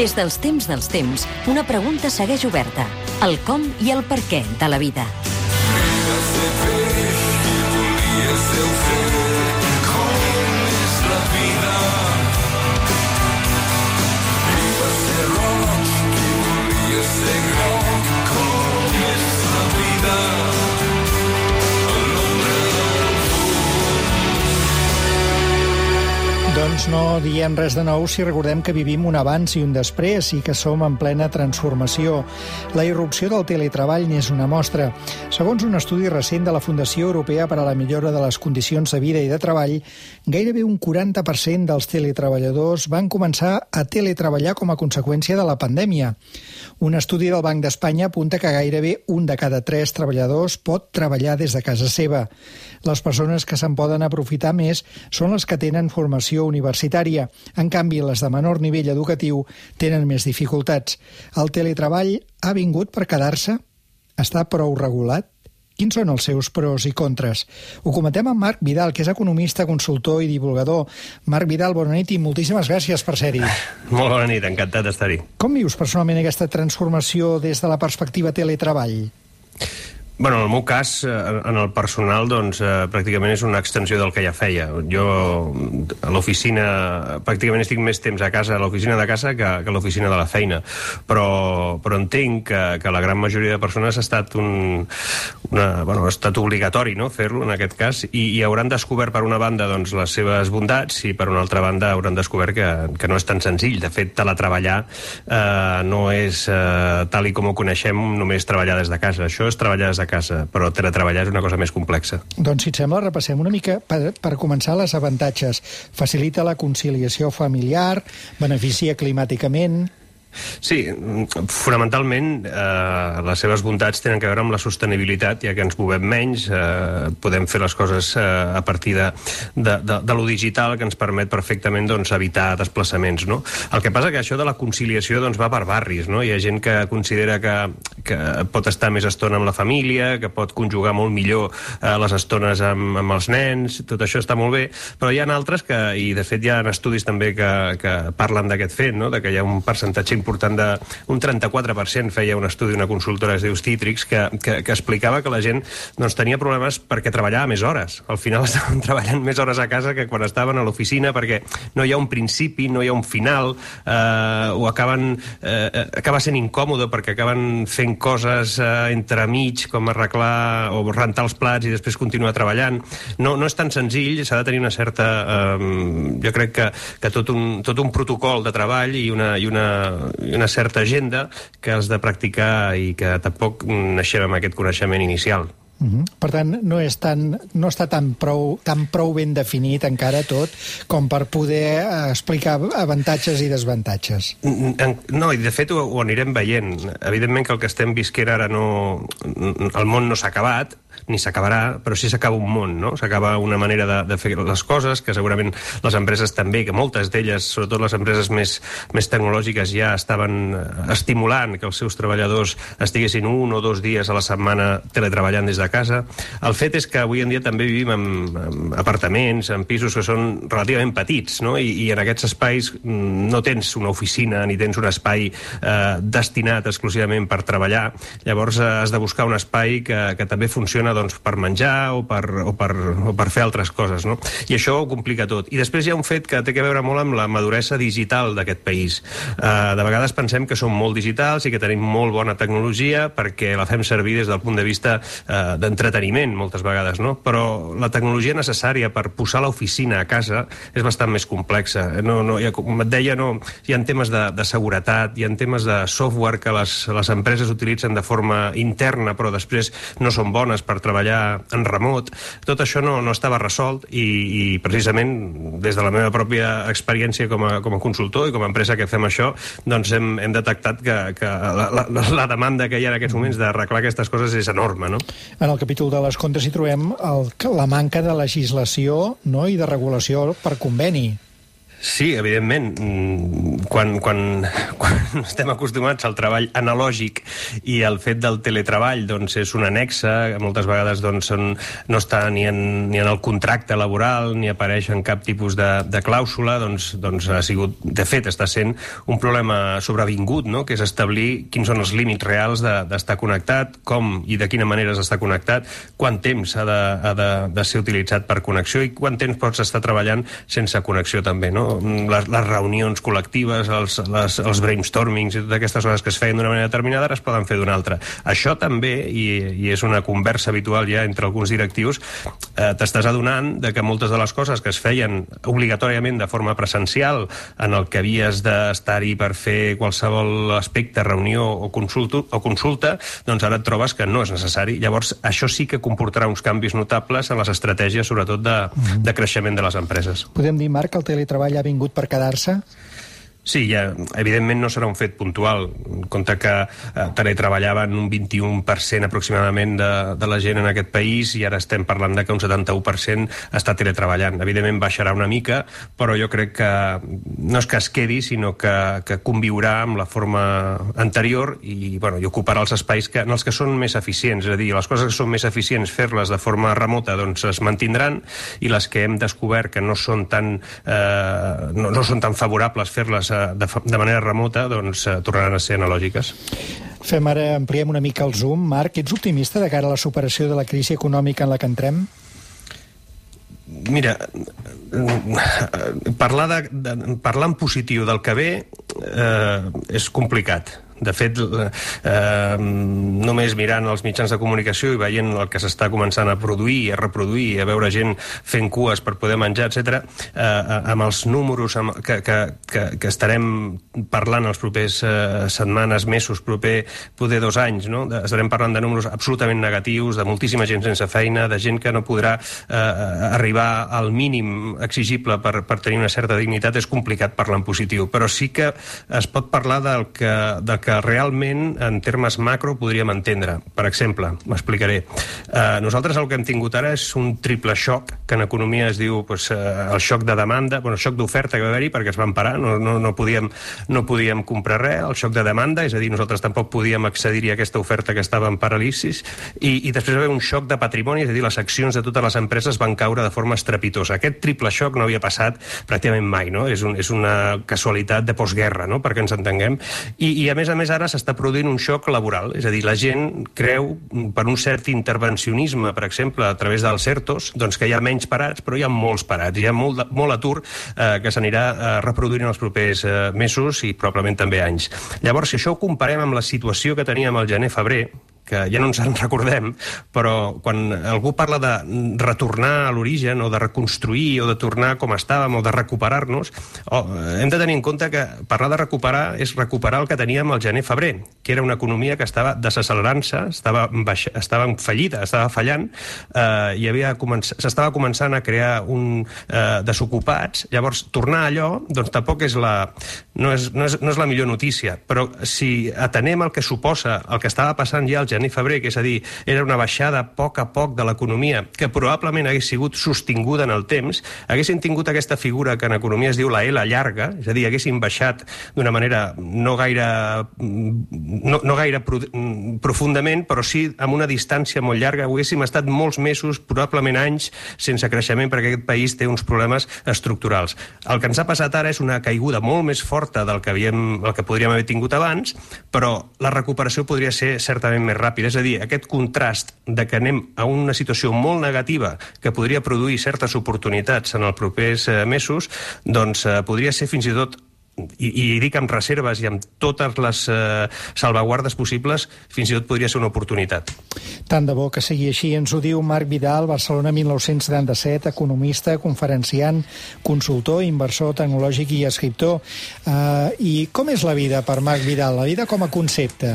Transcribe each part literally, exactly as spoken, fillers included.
Des dels temps dels temps, una pregunta segueix oberta. El com i el per què de la vida. Doncs no diem res de nou si recordem que vivim un abans i un després i que som en plena transformació. La irrupció del teletreball n'és una mostra. Segons un estudi recent de la Fundació Europea per a la Millora de les Condicions de Vida i de Treball, gairebé un quaranta per cent dels teletreballadors van començar a teletreballar com a conseqüència de la pandèmia. Un estudi del Banc d'Espanya apunta que gairebé un de cada tres treballadors pot treballar des de casa seva. Les persones que se'n poden aprofitar més són les que tenen formació universitària. En canvi, les de menor nivell educatiu tenen més dificultats. El teletreball ha vingut per quedar-se? Està prou regulat? Quins són els seus pros i contres? Ho comentem amb Marc Vidal, que és economista, consultor i divulgador. Marc Vidal, bona nit i moltíssimes gràcies per ser-hi. Molt bona nit, encantat d'estar-hi. Com vius personalment aquesta transformació des de la perspectiva teletreball? Bueno, en el meu cas, en el personal, doncs, eh, pràcticament és una extensió del que ja feia. Jo, a l'oficina, pràcticament estic més temps a casa, a l'oficina de casa, que, que a l'oficina de la feina. Però, però entenc que, que la gran majoria de persones ha estat un, una, bueno, ha estat obligatori, no?, fer-lo, en aquest cas, i, i hauran descobert, per una banda, doncs, les seves bondats, i per una altra banda hauran descobert que, que no és tan senzill. De fet, teletreballar eh, no és, eh, tal i com ho coneixem, només treballar des de casa. Això és treballar des de casa, però teletreballar és una cosa més complexa. Doncs, si et sembla, repassem una mica per, per començar les avantatges. Facilita la conciliació familiar, beneficia climàticament... Sí, fonamentalment eh, les seves bondats tenen a veure amb la sostenibilitat, ja que ens movem menys, eh, podem fer les coses eh, a partir de, de, de, de lo digital, que ens permet perfectament, doncs, evitar desplaçaments, no? El que passa que això de la conciliació, doncs, va per barris, no? Hi ha gent que considera que, que pot estar més estona amb la família, que pot conjugar molt millor eh, les estones amb, amb els nens, tot això està molt bé, però hi ha altres que, i de fet hi ha estudis també que, que parlen d'aquest fet, no?, de que hi ha un percentatge important de... Un trenta-quatre per cent feia un estudi, una consultora es diu Citrix, que, que, que explicava que la gent, doncs, tenia problemes perquè treballava més hores. Al final estaven treballant més hores a casa que quan estaven a l'oficina, perquè no hi ha un principi, no hi ha un final, eh, o acaben, eh, acaba sent incòmode perquè acaben fent coses eh, entremig, com arreglar o rentar els plats i després continuar treballant. No, no és tan senzill, s'ha de tenir una certa... Eh, jo crec que, que tot, un, tot un protocol de treball i una, i una i una certa agenda que has de practicar i que tampoc naixem amb aquest coneixement inicial. Uh-huh. Per tant, no, és tan, no està tan prou, tan prou ben definit encara tot com per poder explicar avantatges i desavantatges. No, i de fet ho, ho anirem veient. Evidentment que el que estem visquent ara no... El món no s'ha acabat, ni s'acabarà, però sí s'acaba un món, no? S'acaba una manera de, de fer les coses, que segurament les empreses també, que moltes d'elles, sobretot les empreses més, més tecnològiques, ja estaven estimulant que els seus treballadors estiguessin un o dos dies a la setmana teletreballant des de casa. El fet és que avui en dia també vivim en, en apartaments, en pisos que són relativament petits, no? I, i en aquests espais no tens una oficina ni tens un espai eh, destinat exclusivament per treballar. Llavors eh, has de buscar un espai que, que també funciona, doncs, per menjar o per, o, per, o per fer altres coses, no? I això ho complica tot. I després hi ha un fet que té a veure molt amb la maduresa digital d'aquest país. Uh, de vegades pensem que som molt digitals i que tenim molt bona tecnologia perquè la fem servir des del punt de vista uh, d'entreteniment, moltes vegades, no? Però la tecnologia necessària per posar l'oficina a casa és bastant més complexa. No, no, ja, com et deia, no, hi ha temes de, de seguretat, hi ha temes de software que les, les empreses utilitzen de forma interna però després no són bones per treballar en remot. Tot això no, no estava resolt i, i precisament des de la meva pròpia experiència com a, com a consultor i com a empresa que fem això, doncs hem, hem detectat que, que la, la, la demanda que hi ha en aquests moments d'arreglar aquestes coses és enorme, no? En el capítol de les contres hi trobem el, la manca de legislació, no?, i de regulació per conveni. Sí, evidentment. Quan, quan, quan estem acostumats al treball analògic i el fet del teletreball doncs, és un anexe, moltes vegades doncs, són, no està ni en, ni en el contracte laboral, ni apareix en cap tipus de, de clàusula, doncs, doncs ha sigut, de fet, està sent un problema sobrevingut, no? Que és establir quins són els límits reals d'estar de, connectat, com i de quina manera s'està connectat, quant temps ha de, ha de, de ser utilitzat per connexió i quant temps pots estar treballant sense connexió també, no? Les, les reunions col·lectives, els, les, els brainstormings i totes aquestes coses que es feien d'una manera determinada ara es poden fer d'una altra. Això també, i, i és una conversa habitual ja entre alguns directius, eh, t'estàs adonant de que moltes de les coses que es feien obligatòriament de forma presencial, en el que havies d'estar-hi per fer qualsevol aspecte, reunió o, consulta, o consulta, doncs ara et trobes que no és necessari. Llavors, això sí que comportarà uns canvis notables en les estratègies, sobretot de, de creixement de les empreses. Podem dir, Marc, que el teletreball ha vingut per quedar-se? Sí, ja, evidentment no serà un fet puntual. En compte que eh, teletreballaven un vint-i-un per cent aproximadament de, de la gent en aquest país i ara estem parlant de que un setanta-u per cent està teletreballant. Evidentment baixarà una mica, però jo crec que no és que es quedi, sinó que, que conviurà amb la forma anterior i, bueno, i ocuparà els espais que, en els que són més eficients. És a dir, les coses que són més eficients fer-les de forma remota doncs es mantindran i les que hem descobert que no són tan, eh, no, no són tan favorables fer-les De, de manera remota, doncs eh, tornaran a ser analògiques. Fem ara, ampliem una mica el zoom. Marc, ets optimista de cara a la superació de la crisi econòmica en la que entrem? Mira, parlar, de, de, parlar en positiu del que ve eh, és complicat. De fet, eh, només mirant els mitjans de comunicació i veient el que s'està començant a produir i a reproduir, a veure gent fent cues per poder menjar, etcètera, eh, amb els números amb, que, que, que, que estarem parlant els propers eh, setmanes, mesos, proper, poder dos anys, no? Estarem parlant de números absolutament negatius, de moltíssima gent sense feina, de gent que no podrà eh, arribar al mínim exigible per, per tenir una certa dignitat. És complicat parlar en positiu, però sí que es pot parlar del que, del que realment, en termes macro, podríem entendre. Per exemple, m'explicaré. Eh, nosaltres el que hem tingut ara és un triple xoc, que en economia es diu pues, eh, el xoc de demanda, bueno, el xoc d'oferta que va haver-hi perquè es van parar, no, no, no, podíem, no podíem comprar res, el xoc de demanda, és a dir, nosaltres tampoc podíem accedir a aquesta oferta que estava en paràlisis, i, i després va haver un xoc de patrimoni, és a dir, les accions de totes les empreses van caure de forma estrepitosa. Aquest triple xoc no havia passat pràcticament mai, no? És, un, és una casualitat de postguerra, no? Perquè ens entenguem. I, i a més a més ara s'està produint un xoc laboral, és a dir, la gent creu per un cert intervencionisme, per exemple, a través dels ERTOs, doncs que hi ha menys parats, però hi ha molts parats, hi ha molt, molt atur eh, que s'anirà eh, reproduint en els propers eh, mesos i probablement també anys. Llavors, si això ho comparem amb la situació que teníem al gener-febrer, que ja no ens en recordem, però quan algú parla de retornar a l'origen o de reconstruir o de tornar com estàvem o de recuperar-nos, oh, hem de tenir en compte que parlar de recuperar és recuperar el que teníem al gener-febrer, que era una economia que estava desaccelerant-se, estava, baixa, estava en fallida, estava fallant, eh, i havia començ... s'estava començant a crear un eh, desocupats. Llavors, tornar a allò, doncs tampoc és la... No és, no és, no és la millor notícia, però si atenem el que suposa el que estava passant ja al gener-febrer, que és a dir, era una baixada a poc a poc de l'economia, que probablement hagués sigut sostinguda en el temps, haguessin tingut aquesta figura que en economia es diu la L llarga, és a dir, haguessin baixat d'una manera no gaire, no, no gaire profundament, però sí amb una distància molt llarga, haguéssim estat molts mesos, probablement anys, sense creixement, perquè aquest país té uns problemes estructurals. El que ens ha passat ara és una caiguda molt més forta del que, havíem, el que podríem haver tingut abans, però la recuperació podria ser certament més ràpida. És a dir, aquest contrast de que anem a una situació molt negativa que podria produir certes oportunitats en els propers eh, mesos, doncs eh, podria ser fins i tot, i, i dic amb reserves i amb totes les eh, salvaguardes possibles, fins i tot podria ser una oportunitat. Tant de bo que sigui així. Ens ho diu Marc Vidal, Barcelona mil nou-cents setanta-set, economista, conferenciant, consultor, inversor tecnològic i escriptor. Uh, I com és la vida per Marc Vidal? La vida com a concepte?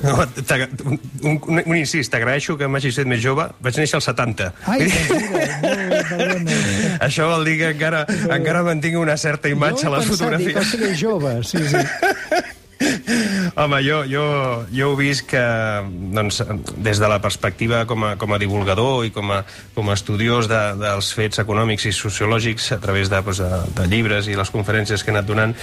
No, un, un, un incís, t'agraeixo que m'hagis fet més jove. Vaig néixer als setanta. Ai, doncs això vol dir que encara, encara mantinc una certa imatge a les fotografies. Jo he pensat, dic, o sigui, jove, sí, sí. Home, jo, jo, jo ho visc que, doncs, des de la perspectiva com a, com a divulgador i com a, com a estudiós de, dels fets econòmics i sociològics a través de, doncs, de, de llibres i les conferències que he anat donant,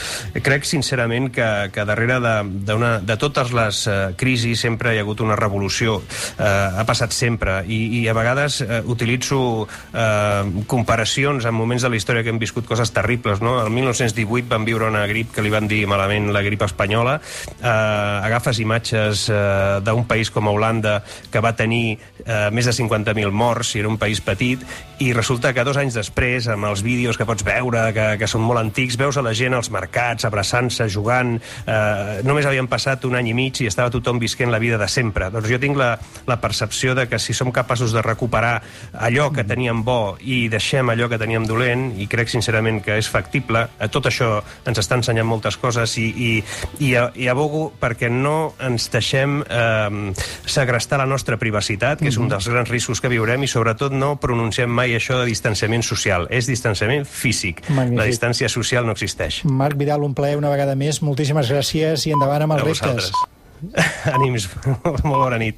crec sincerament que, que darrere de, de, una, de totes les uh, crisis sempre hi ha hagut una revolució. Uh, ha passat sempre i, i a vegades uh, utilitzo uh, comparacions en moments de la història que hem viscut coses terribles, no? El mil nou-cents divuit van viure una grip que li van dir malament la grip espanyola. Eh, agafes imatges eh, d'un país com Holanda que va tenir eh, més de cinquanta mil morts i era un país petit, i resulta que dos anys després, amb els vídeos que pots veure, que, que són molt antics, veus a la gent als mercats, abraçant-se, jugant, eh, només havien passat un any i mig i estava tothom visquent la vida de sempre. Doncs jo tinc la, la percepció de que si som capaços de recuperar allò que teníem bo i deixem allò que teníem dolent, i crec sincerament que és factible, tot això ens està ensenyant moltes coses, i, i, i, i abogo perquè no ens deixem eh, segrestar la nostra privacitat, que és un dels grans riscos que viurem, i sobretot no pronunciem mai això de distanciament social. És distanciament físic. Magnífic. La distància social no existeix. Marc Vidal, un plaer una vegada més. Moltíssimes gràcies i endavant amb els reptes. Ànims. Molt bona nit.